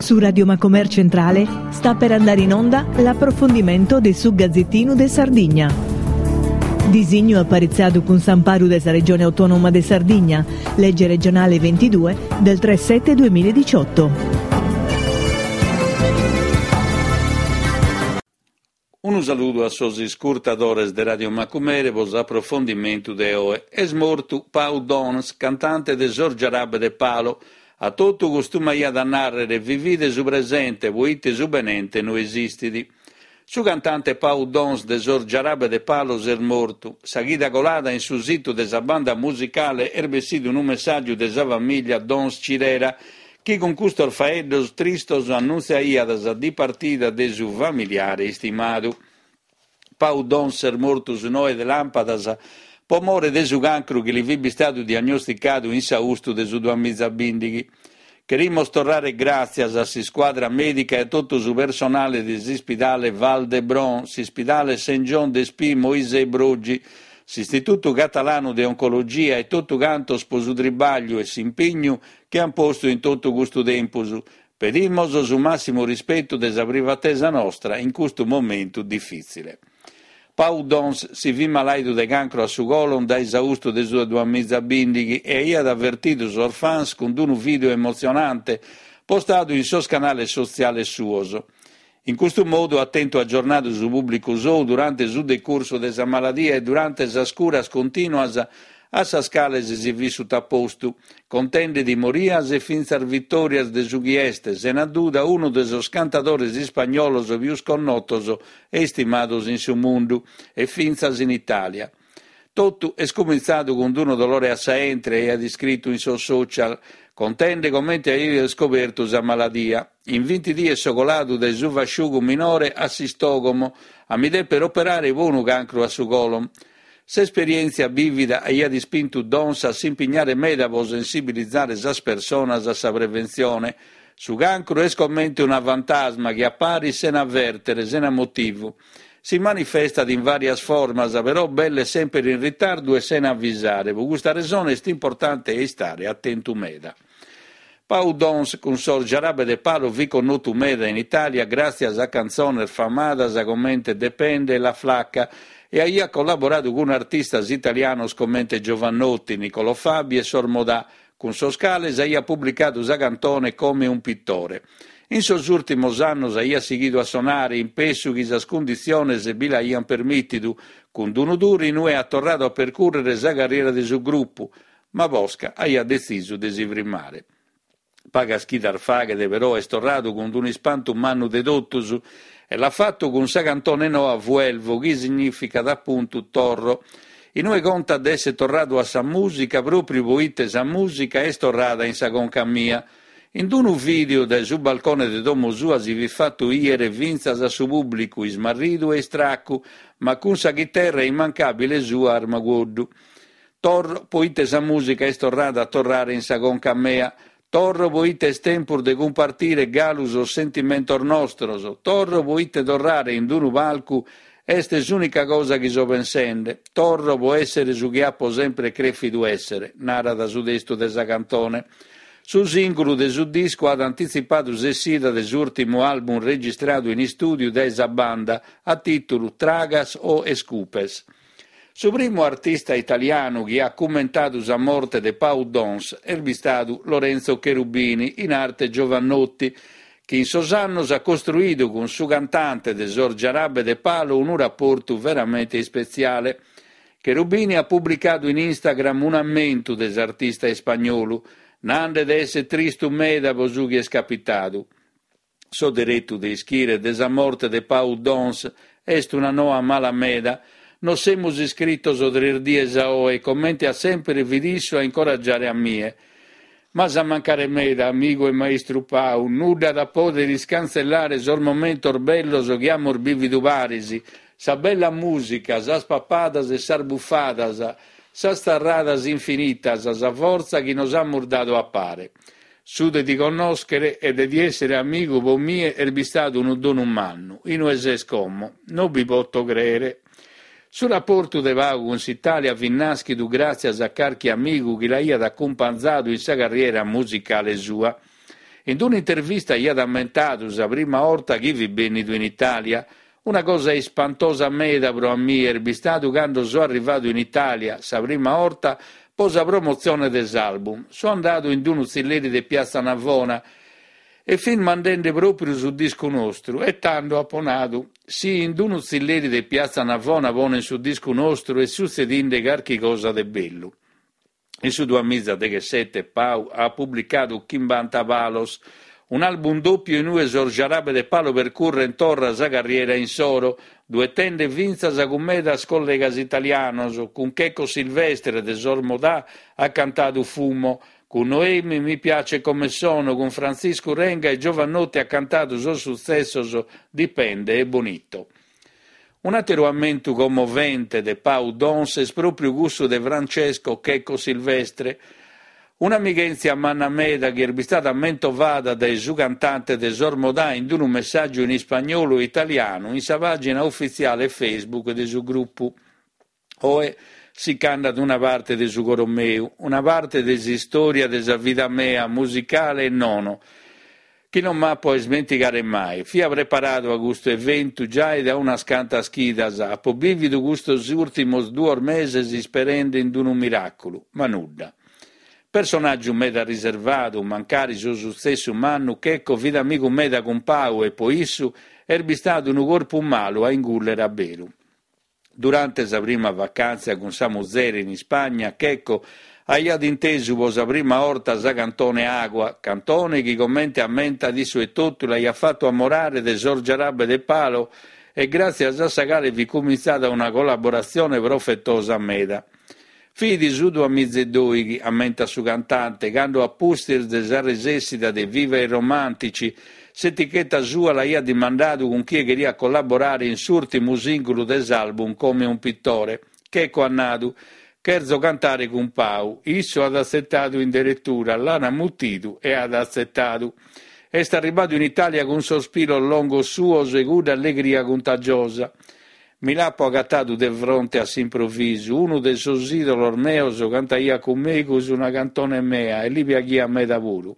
Su Radio Macomer Centrale sta per andare in onda l'approfondimento de su Gazzettinu de Sardigna. Disignu aparitzadu cun s'amparu de sa Regione Autonoma de Sardigna, legge regionale 22 del 3 7 2018. Unu saludu a sos iscurtadores de Radio Macumere pro s'aprofondimentu de oe. Est mortu Pau Dons, cantante de sos Jarabe de Palo. A totu costumaiat a nàrrere vivide su presente poite su benente no esistit. Su cantante Pau Dons de sos Jarabe de Palo s'est mortu. Sa chida colada in su situ de sa banda musicale est bessidu unu messàgiu de sa famìllia Dons Cirera chi cun custos faeddos tristos annuntziaiat sa dipartida de su familiare istimadu. Pau Dons est mortu su noe de làmpadas pro more de su cancru chi li fit bistadu diagnosticadu in s'austu de su duamizabìndighi. Cherimos torrare gràtzias a s'iscuadra mèdica e a totu su personale de s'ispidale Vall d'Hebron, s'ispidale Saint Joan Despí Moisè Broggi, s'Istitutu Catalanu de Oncologia e totu cantos pro su tribagliu e s'impignu chi an postu in totu custu tempus. Pedimos su màssimu rispetu de sa privatesa nostra in custu momentu difìtzile. Pau Dons si fit malàidu de cancru a su colon dae s'austu de su duamizabìndighi e aiat avertidu sos fans cun unu vìdeu emotzionante postadu in sos canales sotziales suos. In custu modu at tentu agiornadu su pùblicu sou durante su decursu de sa maladia e durante sas curas contìnuas a sas cales si fit sutapostu, contende timorias e fintzas vitòrias de su chi est, sena duda, unu de sos cantadores ispagnolos pius connotos e istimados in su mundu, e fintzas in Itàlia. Totu est cumintzadu cun unu dolore a sa 'entre, aiat iscritu in sos social, contende comente aiat iscobertu sa maladia. In vinti dies so coladu dae su fasciugu minore a s'istògomo, a mi dèpere operare pro unu cancru a su colon. S'esperièntzia bìvida aiat ispintu Dons a s'impignare meda pro sensibilizare sas personas a sa preventzione. Su cancru est comente una fantasma chi aparit sena avèrtere, sena motivu. Si manifestat in vàrias formas, però belle semper in ritardu e sena avisare, pro custa resone est importante a istare atentu meda. Pau Dons cun sos Jarabe de Palo fit connotu meda in Itàlia gràtzias a cantzones famadas comente Depende e La Flaca e aiat collaboradu cun artistas italianos comente Jovanotti, Niccolò Fabi e sos Modà, cun sos cales aiat publicadu sa cantone Come un pittore. In sos ùrtimos annos aiat sighidu a sonare, in pessu chi sas cunditziones bi l'aiant permìtidu, cun unu tour in ue at torradu a percùrrere sa carriera de su grupu, ma posca aiat detzisu de si frimmare. Pagas chidas faghet però est torradu cun unu ispantu mannu de totus e l'at fatu cun sa cantone noa Vuelvo chi signìficat apuntu torro, in ue contat de èssere torradu a sa mùsica pròpriu poite sa mùsica est torrada in sa conca mia. In unu vìdeu dae su balcone de domo sua si fit fatu 'ìere fintzas a su pùblicu ismarridu e istracu, ma cun sa chiterra immancàbile sua a armagoddu. Torro poite sa mùsica est torrada a torrare in sa conca mea. Torro poite est tempus de cumpartire galu sos sentimentos nostros. Torro poite torrare in unu palcu est s'ùnica cosa chi so pensende. Torro po èssere su chi apo sempre crèfidu èssere, narat su testu de sa cantone. Su sìngulu de su discu at antitzipadu s'essida de s'ùrtimu album registradu in istùdiu dae sa banda, a tìtulu Tragas o Escupes. Su primu artista italianu chi at cummentadu sa morte de Pau Dons est bistadu Lorenzo Cherubini, in arte Jovanotti, chi in sos annos at costruidu cun su cantante de sos Jarabe de Palo unu raportu veramente ispetziale. Cherubini at publicadu in Instagram un'ammentu de s'artista ispagnolu, nande de èssere tristu meda pro su chi est capitadu. So deretu de ischire de sa morte de Pau Dons, est una noa mala meda. Nos semus iscritos tres dies a oe e comente a semper fit issu a incoragiare a mie. M'as a mancare meda, amigu e maistru Pau, nudda at a pòdere iscantzellare sos momentos bellos chi amus bìvidu paris, sa bella mùsica, sas papadas e sas bufadas, sas tzarradas infinitas, sa fortza chi nos amus dadu a pare. Su de ti connòschere e de ti èssere amigu po mie est bistadu unu donu mannu. Inue ses como? No bi poto crèere. Su raportu de Pau cun s'Itàlia fit nàschidu gràtzias a carchi amigu chi l'aiat acumpanzadu in sa carriera musicale sua. In un'intervista aiat ammentadu sa prima 'orta chi fit bènnidu in Itàlia. Una cosa ispantosa meda pro a mie est bistadu cando so arrivadu in Itàlia sa prima 'orta pro sa promotzione de s'album. So andadu in unu tzilleri de Piazza Navona e fin mandende pròpriu su discu nostru e tando apo nadu, si in unu tzilleri de Piazza Navona ponen su discu nostru est sutzedinde carchi cosa de bellu. In su duamizadeghessete Pau at publicadu Chimbanta Palos, un'album dòpiu in ue sos Jarabe de Palo percurrent torra sa carriera insoro, duetende fintzas cun medas collegas italianos, cun Checco Silvestre de sos Modà at cantadu Fumo, cun Noemi Mi piace come sono, cun Frantziscu Renga e Jovanotti at cantadu sos sutzessos Dipende e Bonito. Un'àteru ammentu commovente de Pau Dons est pròpriu cussu de Francesco Checco Silvestre, un'amighèntzia manna meda chi est bistada mentovada dae su cantante de sos Modà in unu messàgiu in ispagnolu e italianu in sa pàgina ufitziale Facebook de su grupu. Oe si ch'andat una parte de su coro meu, una parte de s'istòria de sa vida mea, musicale e nono, chi non m'apo a ismentigare mai. Fia preparadu a custu eventu giai dae unas cantas chidas, apo bìvidu custos ùrtimos duos meses isperende in unu miràculu, ma nudda. Personàgiu meda riservadu, mancari su sutzessu mannu, Checco fit amigu meda cun Pau e po issu est bistadu unu corpu malu a ingùllere a beru. Durante sa prima vacàntzia cun sa muzere in Ispagna, Checco aiat intesu pro sa prima 'orta sa cantone Agua, cantone chi comente ammentat issu etotu l'aiat fatu amorare de sos Jarabe de Palo e gràtzias a sa cale fit cumintzada una collaboratzione profetosa meda. Fit su duamizaedoighi, ammentat su cantante, cando a pustis de sa resessida de Viva i Romantici, s'eticheta sua l'aiat dimandadu cun chie cheriat collaborare in s'ùrtimu sìngulu de s'album Come un pittore. Checco at nadu, Cherzo cantare cun Pau. Issu at atzetadu in deretura, l'an mutidu e at atzetadu. Est arribadu in Itàlia cun sos pilos longos suos e cudda allegria cuntagiosa. Mi l'apo agatadu de fronte a s'improvisu, unu de sos ìdolos meos cantaiat cun megus una cantone mea e li piaghiat meda puru.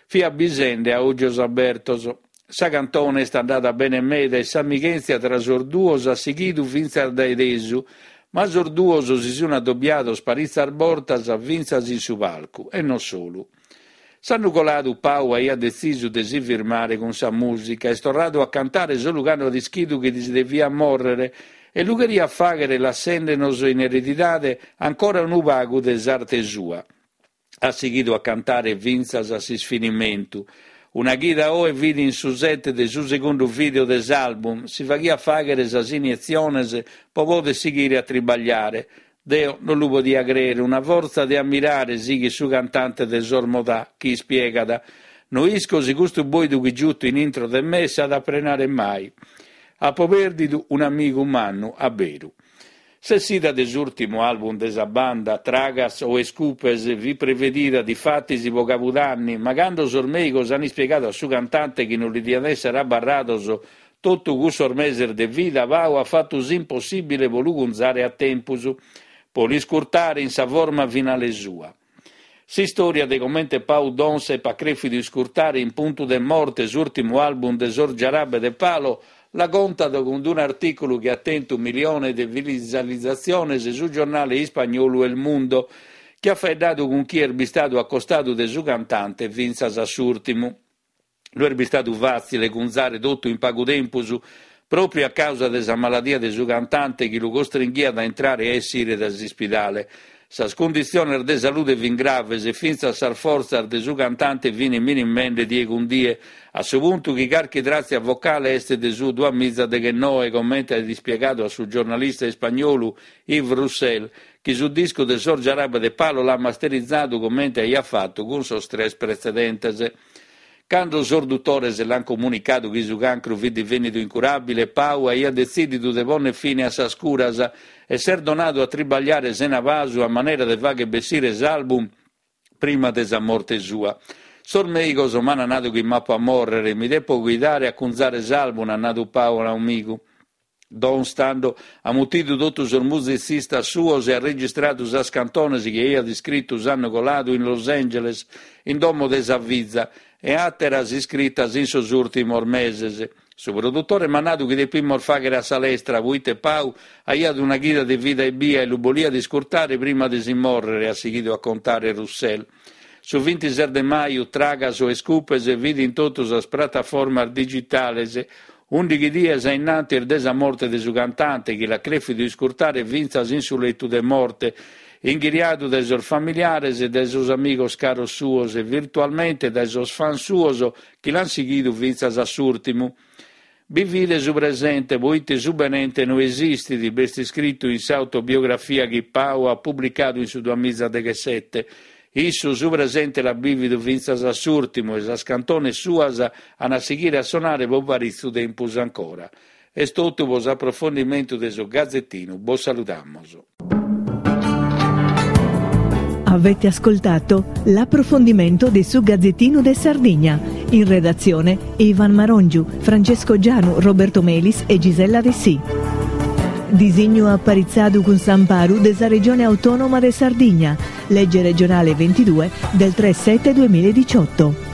Fia bisende a ògios abertos. Sa cantone est andada bene meda e s'amighèntzia tra sos duos at sighidu fintzas dae tesu, ma sos duos si sun adobiados paritzas bortas fintzas in su palcu, e non solu. S'annu coladu Pau aiat detzisu de si firmare cun sa mùsica, est torradu a cantare solu cando at ischidu chi si deviat mòrrere e lu cheriat fàghere lassende-nos in eredidade ancora unu pagu de s'arte sua. At sighidu a cantare fintzas a s'isfinimentu. Una chida oe fit in su set de su segundu vìdeo de s'album, si faghiat fàghere sas inietziones pro poder sighire a tribagliare. Deo non lu podia crèere, una fortza de ammirare, sighit su cantante de sos Modà, chi ispiegat, No isco si custu bòidu chi giuto in intro de me s'at a prenare mai. Apo pèrdidu un'amigu mannu a beru. S'essida de s'ùrtimu album de sa banda, Tragas o Escupes, fit prevedida difatis pro cabudanni, ma cando sos mèigos ant ispiegadu a su cantante chi non li diant èssere abarrados Totu cussos meses de vida Pau at fatu s'impossìbile pro lu cunzare a tempus, pro l'iscurtare in sa forma finale sua. S'istòria de comente Pau Donz epat crèfidu iscurtare in puntu de morte s'ùrtimu album de sos Jarabe de Palo la contat cun un'artìculu chi at tentu miliones de visualizatziones su giornale ispagnolu El Mundo, chi at faeddadu cun chie est bistadu a costadu de su cantante fintzas a s'ùrtimu. No est bistadu fàtzile cunzare totu in pagu tempus, pròpiu a càusa de sa maladia de su cantante chi lu costringhiat a intrare e a essire dae s'ispidale. Sas cunditziones de salude fin graves e fintzas sas fortzas de su cantante fin minimende die cun die, a su puntu chi carchi tràtzia vocale est de su duamizadeghennoe, comente at ispiegadu a su giornalista ispagnolu Yves Roussel, chi su discu de sos Jarabe de Palo l'at masterizadu comente aiat fatu cun sos tres pretzedentes. Cando sos dutores l'ant comunicadu chi su cancru fit divènnidu incuràbile, Pau aiat detzìdidu de pònnere fine a sas curas e s'est donadu a tribagliare sena pasu a manera de fàghere bessire s'album prima de sa morte sua. Sos mèigos m'ant nadu chi m'apo a mòrrere, mi depo cuidare a cunzare s'album at nadu Pau a un'amigu. Dons tando at mutidu totu sos musitzistas suos e at registradu sas cantones chi aiat iscritu s'annu coladu in Los Angeles, in domo de sa fiza, e àteras iscritas in sos ùrtimos meses. Su produtore m'at nadu chi depimus fàghere a sa lestra, poite Pau aiat una chida de vida ebbia e lu boliat iscurtare prima de si mòrrere, at sighidu a contare Roussel. Su bintises de maju, Tragas o Escupes fit in totu sas prataformas digitales, ùndighi dies a innantis de sa morte de su cantante, chi l'at crèfidu iscurtare fintzas in su letu de morte, inghiriadu dae sos familiares e dae sos amigos caros suos e virtualmente dae sos fans suos chi l'ant sighidu fintzas a s'ùrtimu. Bivide su presente, poite su benente no esistit, b'est iscritu in s'autobiografia chi Pau at publicadu in su duamizadeghesete. Issu su presente l'at bìvidu fintzas a s'ùrtimu e sas cantones suas an a sighire a sonare pro paritzu tempus ancora. Est totu pro s'aprofondimentu de su Gazetinu, bos saludamus. Avete ascoltato l'approfondimento di su Gazzettino de Sardigna. In redazione Ivan Marongiu, Francesco Gianu, Roberto Melis e Gisella Dessì. Disignu aparitzadu cun s'amparu de sa Regione Autonoma de Sardigna, legge regionale 22 del 3 7 2018.